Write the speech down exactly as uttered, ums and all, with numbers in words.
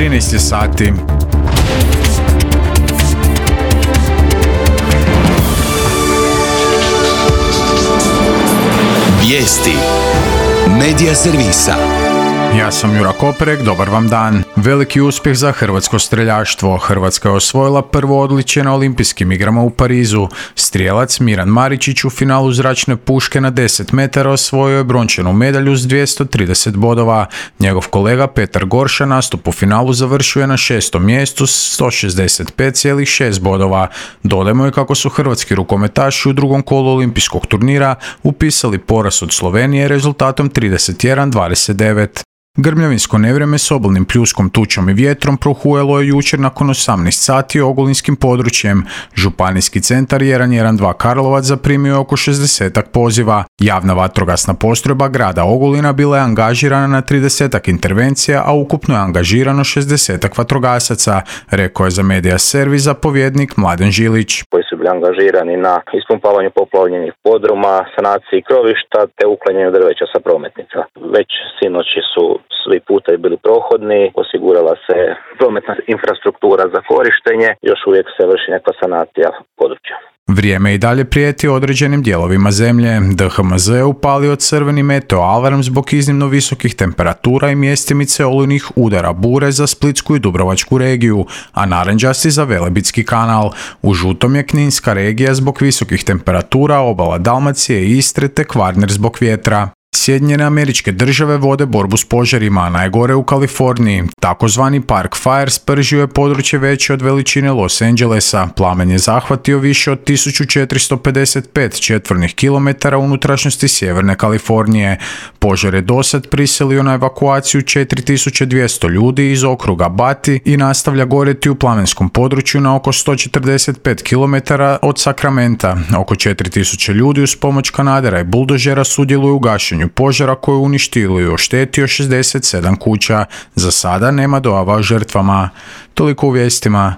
trinaest je sati. Vijesti Medija servisa. Ja sam Jura Koperek, dobar vam dan. Veliki uspjeh za hrvatsko streljaštvo. Hrvatska je osvojila prvo odličje na olimpijskim igrama u Parizu. Strijelac Miran Maričić u finalu zračne puške na deset metara osvojio je brončanu medalju s dvjesto trideset bodova. Njegov kolega Petar Gorša nastup u finalu završio je na šestom mjestu s sto šezdeset pet zarez šest bodova. Dodajmo je kako su hrvatski rukometaši u drugom kolu olimpijskog turnira upisali poraz od Slovenije rezultatom trideset jedan dvadeset devet. Grmljavinsko nevrijeme s obilnim pljuskom, tučom i vjetrom prohujalo je jučer nakon osamnaest sati ogulinskim područjem. Županijski centar jedan jedan dva Karlovac zaprimio je oko šezdesetak poziva. Javna vatrogasna postrojba grada Ogulina bila je angažirana na tridesetak intervencija, a ukupno je angažirano šezdesetak vatrogasaca, rekao je za Medija servis zapovjednik Mladen Žilić. Koji su bili angažirani na ispumpavanju poplavljenih podruma, sanaciji krovišta te uklanjanju drveća sa prometnica. Već sinoći su svi putevi bili prohodni, osigurala se prometna infrastruktura za korištenje, još uvijek se vrši neka sanacija područja. Vrijeme i dalje prijeti određenim dijelovima zemlje. D H M Z je upalio crveni meteo alarm zbog iznimno visokih temperatura i mjestimice olujnih udara bure za Splitsku i Dubrovačku regiju, a narančasti za Velebitski kanal. U žutom je Kninska regija zbog visokih temperatura, obala Dalmacije i Istre te Kvarner zbog vjetra. Sjedinjene Američke Države vode borbu s požarima, najgore u Kaliforniji. Takozvani Park Fire spržio je područje veće od veličine Los Angelesa. Plamen je zahvatio više od tisuću četiristo pedeset pet četvornih kilometara unutrašnjosti sjeverne Kalifornije. Požar je dosad prisilio na evakuaciju četiri tisuće dvjesto ljudi iz okruga Bati i nastavlja gorjeti u plamenskom području na oko sto četrdeset pet kilometara od Sakramenta. Oko četiri tisuće ljudi uz pomoć kanadera i buldožera sudjeluju u gašenju požara koji je uništio i oštetio šezdeset sedam kuća. Za sada nema dojava o žrtvama. Toliko u vijestima.